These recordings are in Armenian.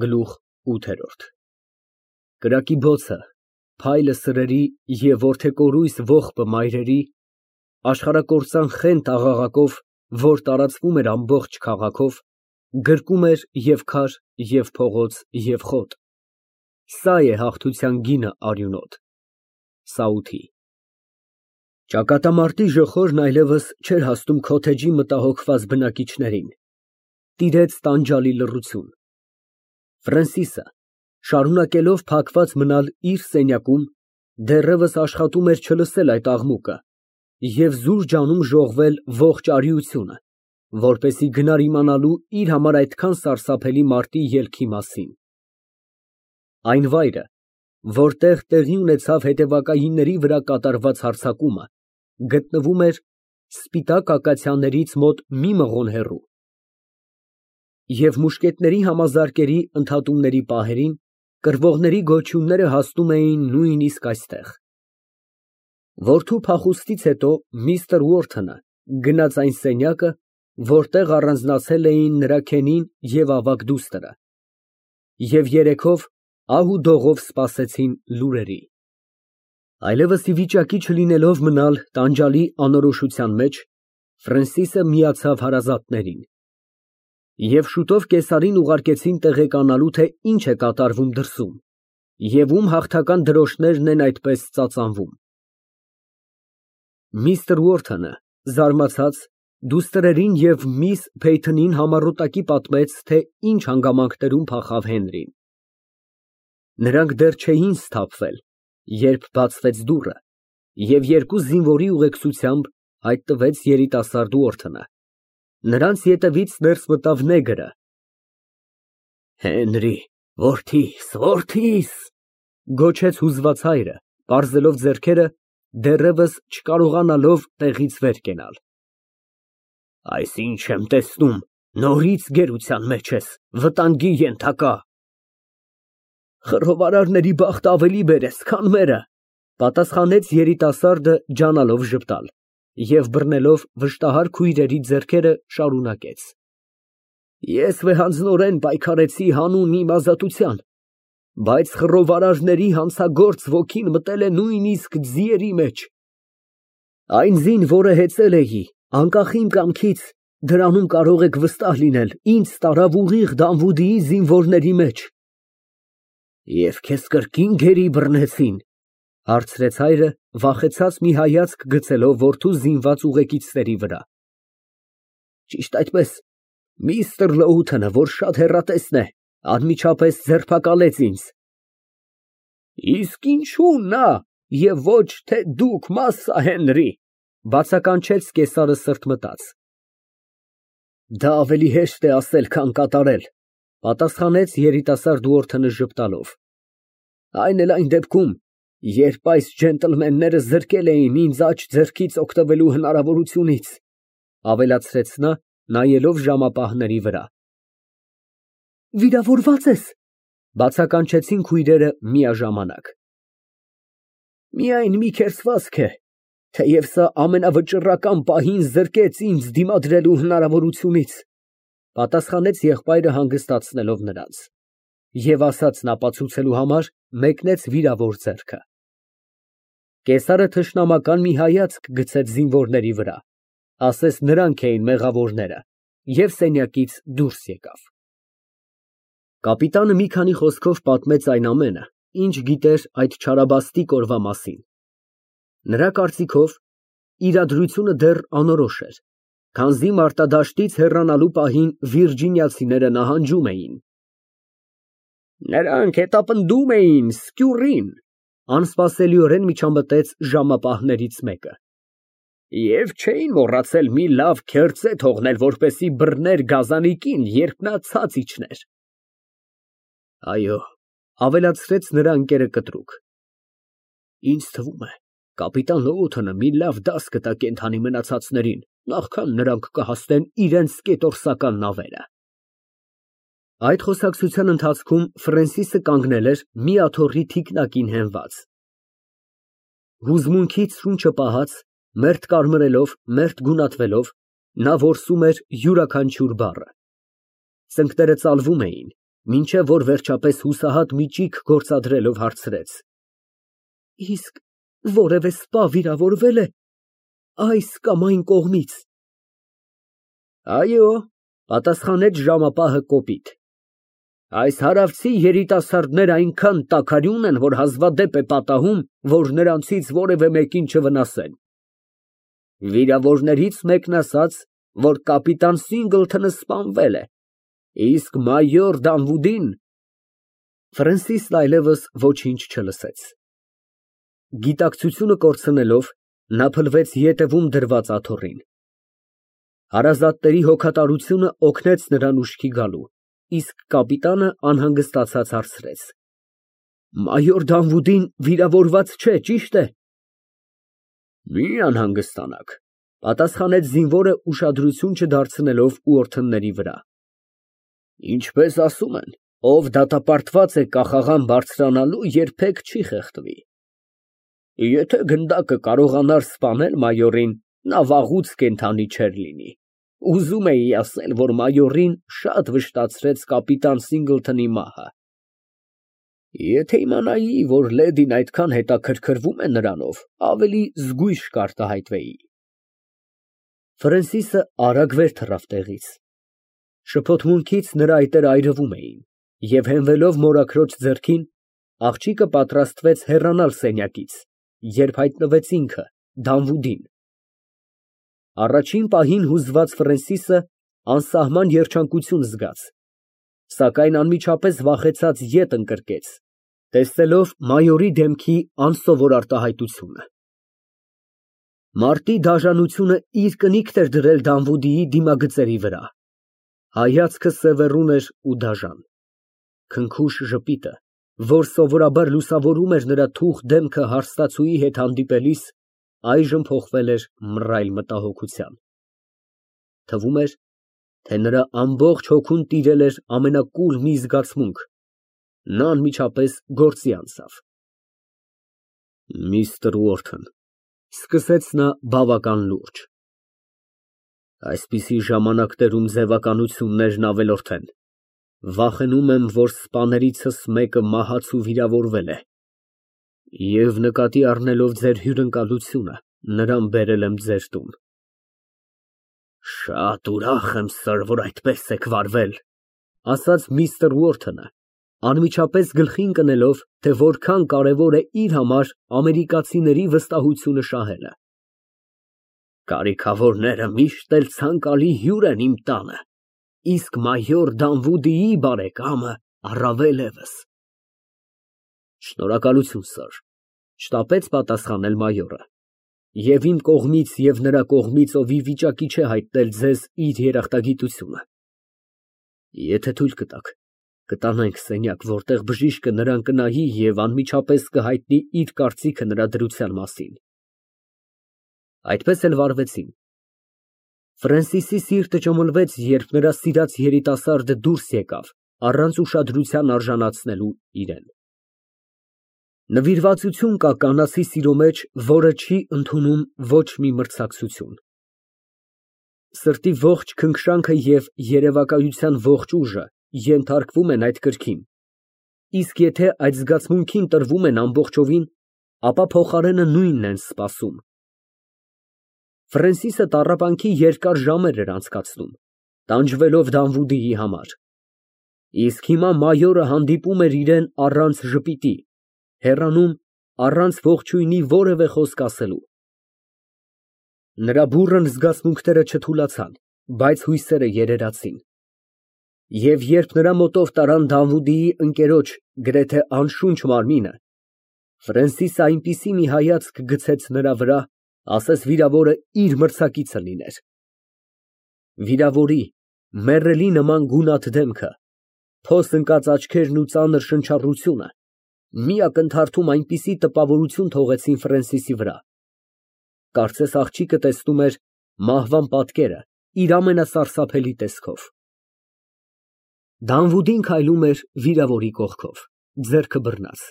Գլուխ ութ Կրակի բոցը, փայլը սրերի և որդեկորույս ողբը մայրերի, աշխարհակործան խենթ աղաղակով, որ տարածվում էր ամբողջ քաղաքով, գրկում էր և քար, և փողոց, և խոտ, սա է հաղթության գինը արյունոտ, Սաութի։ Ճակատամարտի ժխորն այլևս չէր հասնում քոթեջի մտահոգված բնակիչներին, տիրեց տանջալի լռություն։ Ֆրենսիսը, շարունակելով փակված մնալ իր սենյակում, դեռևս աշխատում էր չլսել այդ աղմուկը և զուր ջանում ժողվել ողջ արիությունը, որպեսզի գնար իմանալու իր համար այդքան սարսափելի մարտի ելքի մասին։ Այն վայրը, որտեղ տեղի ունեցավ հետևակայինների վրա կատարված հարձակումը, գտնվում էր սպիտակ ակացիաներից մոտ մի մղոն հեռու, և մուշկետների համազարկերի ընդհատումների պահերին կռվողների գոչյունները հասնում էին նույնիսկ այստեղ։ Որդու փախուստից հետո միստր Ուորթոնը գնաց այն սենյակը, որտեղ առանձնացել էին նրա քենին և ավագ դուստրը, և երեքով ահ ու դողով սպասեցին լուրերի։ Այլևս ի վիճակի չլինելով մնալ տանջալի անորոշության մեջ, Ֆրենսիսը միացավ հարազատներին, և շուտով կեսարին ուղարկեցին տեղեկանալու, թե ինչ է կատարվում դրսում և ում հաղթական դրոշներն են այդպես ծածանվում։ Միստր Ուորթոնը, զարմացած, դուստրերին և միս Փեյթոնին համառոտակի պատմեց, թե ինչ հանգամանքներում փախավ Հենրին։ Նրանք դեռ չէին սթափվել, երբ բացվեց դուռը, և երկու զինվորի ուղեկցությամբ հայտնվեց երիտասարդ Ուորթոնը։ Նրանց ետևից ներս մտավ նեգրը։ Հենրի, որդիս, որդիս, գոչեց հուզված հայրը, պարզելով ձեռքերը, դեռևս չկարողանալով տեղից վեր կենալ։ Այս ինչ եմ տեսնում, նորից գերության մեջ ես, վտանգի ենթակա։ Խռովարարների բախտը ավելի բերես, քան մերը, պատասխանեց երիտասարդը ջանալով ժպտալ, և բռնելով վշտահար քույրերի ձեռքերը շարունակեց. Ես վեհանձնորեն պայքարեցի հանուն իմ ազատության, բայց խռովարարների հանցագործ ոգին մտել է նույնիսկ ձիերի մեջ։ Այն ձին, որը հեծել էի, անկախ իմ կամքից, դրանում կարող եք վստահ լինել, ինձ տարավ ուղիղ Դանվուդիի զինվորների մեջ։ Եվ քեզ կրկին գերի բռնեցի՞ն, հարցրեց հայրը, վախեցած մի հայացք գցելով որդու զինված ուղեկիցների վրա։ Ճիշտ այդպես, միստր Լոութոնը, որ շատ հեռատեսն է, անմիջապես ձերբակալեց ինձ։ Իսկ ինչու նա, և ոչ թե դուք, Մասսա Հենրի, բացականչեց կեսարը սրտմտած։ Դա ավելի հեշտ է ասել, քան կատարել, պատասխանեց երիտասարդ Ուորթոնը ժպտալով։ Այն էլ այն դեպքում, երբ այս ջենտլմենները զրկել էին ինձ աջ ձեռքից օգտվելու հնարավորությունից, ավելացրեց նա, նայելով ժամապահների վրա։ Վիրավորվա՞ծ ես, բացականչեցին քույրերը միաժամանակ։ Միայն մի քերծվածք է, թեև սա ամենավճռական պահին զրկեց ինձ դիմադրելու հնարավորությունից, պատասխանեց եղբայրը հանգստացնելով նրանց, և ասածն ապացուցելու համար մեկնեց վիրավոր ձեռքը։ Կեսարը թշնամական մի հայացք գցեց զինվորների վրա, ասես նրանք էին մեղավորները, և սենյակից դուրս եկավ։ Կապիտանը մի քանի խոսքով պատմեց այն ամենը, ինչ գիտեր այդ չարաբաստիկ օրվա մասին։ Նրա կարծիքով, իրադրությունը դեռ անորոշ էր, քանզի մարտադաշտից հեռանալու պահին վիրջինիացիները նահանջում էին։ Նրանք հետապնդում էին սկյուռին, անսպասելիորեն միջամտեց ժամապահներից մեկը։ Եվ չէին մոռացել մի լավ քերծե թողնել, որպեսզի բռներ գազանիկին, երբ նա ցած իջներ։ Այո, ավելացրեց նրա ընկերը կտրուկ։ Ինձ թվում է, կապիտան Լոութոնը մի լավ դաս կտա կենդանի մնացածներին, նախքան նրանք կհասնեն իրենց կետորսական նավերը։ Այդ խոսակցության ընթացքում Ֆրենսիսը կանգնել էր մի աթոռի թիկնակին հենված։ Հուզմունքից շունչը պահած, մերթ կարմրելով, մերթ գունատվելով, նա որսում էր յուրաքանչյուր բառը։ Ծնկները ծալվում էին, Մինչև որ վերջապես հուսահատ մի ճիգ գործադրելով հարցրեց. Իսկ որևէ սպա վիրավորվե՞լ է այս կամ այն կողմից։ Այո, պատասխանեց ժամապահը կոպիտ։ Այս հարավցի երիտասարդները այնքան տաքարյուն են, որ հազվադեպ է պատահում, որ նրանցից որևէ մեկին չվնասեն։ Վիրավորներից մեկն ասաց, որ կապիտան Սինգլթոնը սպանվել է, իսկ մայոր Դանվուդին… Ֆրենսիսն այլևս ոչինչ չլսեց։ Գիտակցությունը կորցնելով, նա փլվեց ետևում դրված աթոռին։ Հարազատների հոգատարությունը օգնեց նրան ուշքի գալու, իսկ կապիտանը անհանգստացած հարցրեց. Մայոր Դանվուդին վիրավորված չէ, ճի՞շտ է։ Մի անհանգստանաք, պատասխանեց զինվորը ուշադրություն չդարձնելով ուորթնների վրա։ Ինչպես ասում են, ով դատապարտված է կախաղան բարձրանալու, երբեք չի խեղդվի։ Եթե գնդակը կարողանար սպանել մայորին, նա վաղուց կենդանի չէր լինի։ Ուզում էի ասել, որ մայորին շատ վշտացրեց կապիտան Սինգլթոնի մահը։ Եթե իմանայի, որ լեդին այդքան հետաքրքրվում է նրանով, ավելի զգույշ կարտահայտվեի։ Ֆրենսիսը արագ վեր թռավ տեղից։ Շփոթմունքից նրա այտերը այրվում էին, և հենվելով մորաքրոջ ձեռքին, աղջիկը պատրաստվեց հեռանալ սենյակից, երբ հայտնվեց ինքը, Դանվուդին։ Առաջին պահին հուզված Ֆրենսիսը անսահման երջանկություն զգաց, սակայն անմիջապես վախեցած ետ ընկրկեց, տեսնելով մայորի դեմքի անսովոր արտահայտությունը։ Մարտի դաժանությունը իր կնիքն էր դրել Դանվուդիի դիմագծերի վրա։ Հայացքը սևեռուն էր ու դաժան։ Քնքուշ ժպիտը, որ սովորաբար լուսավորում էր նրա թուխ դեմքը հարստացուի հետ հանդիպելիս, այժմ փոխվել էր մռայլ մտահոգության։ Թվում էր, թե նրա ամբողջ հոգուն տիրել էր ամենակուլ մի զգացմունք։ Նա անմիջապես գործի անցավ։ Միստր Ուորթն, սկսեց նա բավական լուրջ, այսպիսի ժամանակներում ձևականություններն ավելորդ են։ Վախենում եմ, որ սպաներիցս մեկը մահացու վիրավորվել է, և նկատի առնելով ձեր հյուրընկալությունը, նրան բերել եմ ձեր տուն։ Շատ ուրախ եմ, սըր, որ այդպես եք վարվել, ասաց միստր Ուորթոնը, անմիջապես գլխի ընկնելով, թե որքան կարևոր է իր համար ամերիկացիների վստահությունը շահելը։ Կարիքավորները միշտ էլ ցանկալի հյուր են իմ տանը, իսկ մայոր Դանվուդիի բարեկամը առավել ևս։ Շնորհակալություն, սըր, շտապեց պատասխանել մայորը, և իմ կողմից և նրա կողմից, ով ի վիճակի չէ հայտնել ձեզ իր երախտագիտությունը։ Եթե թույլ կտաք, կտանենք սենյակ, որտեղ բժիշկը նրան կնայի և անմիջապես կհայտնի իր կարծիքը նրա դրության մասին։ Այդպես էլ վարվեցին։ Ֆրենսիսի սիրտը ճմլվեց, երբ նրա սիրած երիտասարդը դուրս եկավ, առանց ուշադրության արժանացնելու իրան։ Նվիրվածություն կա կանացի սիրո մեջ, որը չի ընդունում ոչ մի մրցակցություն։ Սրտի ողջ քնքշանքը և երևակայության ողջ ուժը ենթարկվում են այդ կրքին, իսկ եթե այդ զգացմունքին տրվում են ամբողջովին, ապա փոխարենը նույնն են սպասում։ Ֆրենսիսը տառապանքի երկար ժամեր էր անցկացնում, տանջվելով Դանվուդիի համար, իսկ հիմա մայորը հանդիպում էր իրան առանց ժպիտի, հեռանում, առանց ողջույնի որևէ խոսք ասելու։ Նրա բուռն զգացմունքները չթուլացան, բայց հույսերը երերացին։ Եվ երբ նրա մոտով տարան Դանվուդիի ընկերոջ գրեթե անշունչ մարմինը, Ֆրենսիսը այնպիսի մի հայացք գցեց նրա վրա, ասես վիրավորը իր մրցակիցը լիներ։ Վիրավորի, մեռելի նման գունատ դեմքը, փոս ընկած աչքերն ու ծանր շնչառությունը մի ակնթարթում այնպիսի տպավորություն թողեցին Ֆրենսիսի վրա, կարծես աղջիկը տեսնում էր մահվան պատկերը իր ամենասարսափելի տեսքով։ Դանվուդին քայլում էր վիրավորի կողքով, ձեռքը բռնած,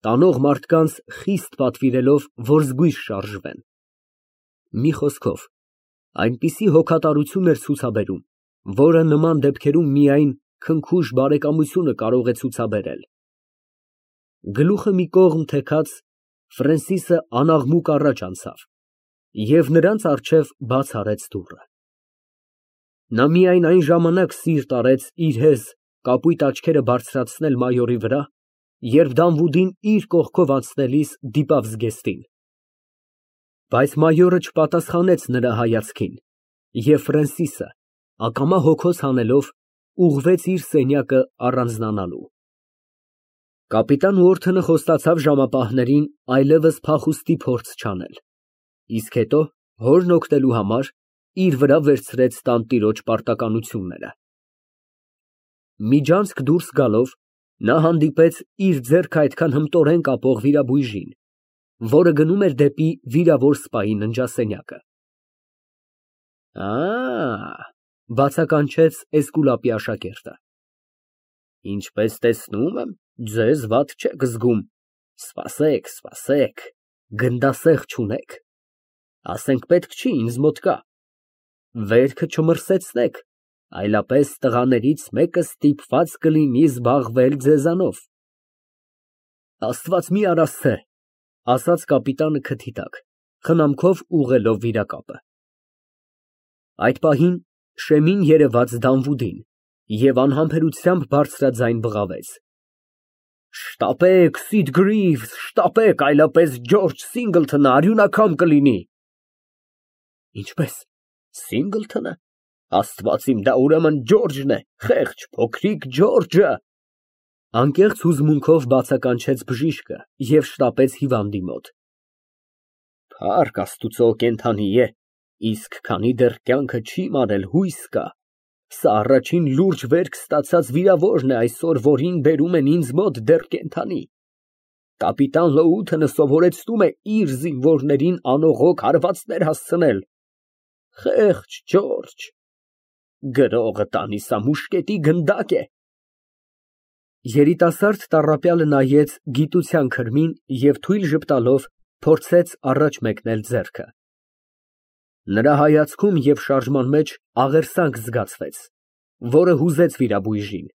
տանող մարդկանց խիստ պատվիրելով, որ զգույշ շարժվեն։ Մի խոսքով, այնպիսի հոգատարություն էր ցուցաբերում, որը նման դեպքերում միայն քնքուշ բարեկամությունը կարող է ցուցաբերել։ Գլուխը մի կողմ թեքած, Ֆրենսիսը անաղմուկ առաջ անցավ և նրանց առջև բաց արեց դուռը։ Նա միայն այն ժամանակ սիրտ արեց իր հեզ, կապույտ աչքերը բարձրացնել մայորի վրա, երբ Դանվուդին իր կողքով անցնելիս դիպավ զգեստին։ Բայց մայորը չպատասխանեց նրա հայացքին, և Ֆրենսիսը, ակամա հոգոց հանելով, ուղղվեց իր սենյակը առանձնանալու։ Կապիտան Ուորթոնը խոստացավ ժամապահներին այլևս փախուստի փորձ չանել, իսկ հետո, հորն օգնելու համար, իր վրա վերցրեց տանտիրոջ պարտականությունները։ Միջանցք դուրս գալով, նա հանդիպեց իր ձեռքը այդքան հմտորեն կապող վիրաբույժին, որը գնում էր դեպի վիրավոր սպայի ննջասենյակը։ Բացականչեց Էսկուլապի աշակերտը։ Ինչպես տեսնում եմ, ձեզ վատ չեք զգում, սպասեք, գնդասեղ չունեք, ասենք պետք չի ինձ մոտ կա, վերքը չմրսեցնեք, այլապես տղաներից մեկը ստիպված կլինի զբաղվել ձեզանով։ Աստված մի արասցե, ասաց կապիտանը քթի տակ, խնամքով ուղղելով վիրակապը։ Այդ պահին շեմին երևաց Դանվուդին և անհամբերությամբ բարձրաձայն բղավեց. Շտապեք, Սիդ Գրիվզ, շտապեք, այլապես Ջորջ Սինգլթոնը արյունաքամ կլինի։ Ինչպես, Սինգլթոնը, Աստված իմ, դա ուրեմն Ջորջն է, խեղճ փոքրիկ Ջորջը։ Անկեղծ հուզմունքով բացականչեց բժիշկը և շտապեց հիվանդի մոտ։ Փառք Աստուծո, կենդանի է, իսկ քանի դեռ կյանքը չի մարել, հույս կա։ Սա առաջին լուրջ վերք ստացած վիրավորն է այսօր, որին բերում են ինձ մոտ դեռ կենդանի։ Կապիտան Լոութոնը սովորեցնում է իր զինվորներին անողոք հարվածներ հասցնել։ Խեղճ Ջորջ, գրողը տանի սա մուշկետի գնդակ է։ Երիտասարդ տառապյալը նայեց գիտության քրմին և թույլ ժպտալով փորձեց առաջ մեկնել ձեռքը։ Նրա հայացքում և շարժման մեջ աղերսանք զգացվեց, որը հուզեց վիրաբույժին։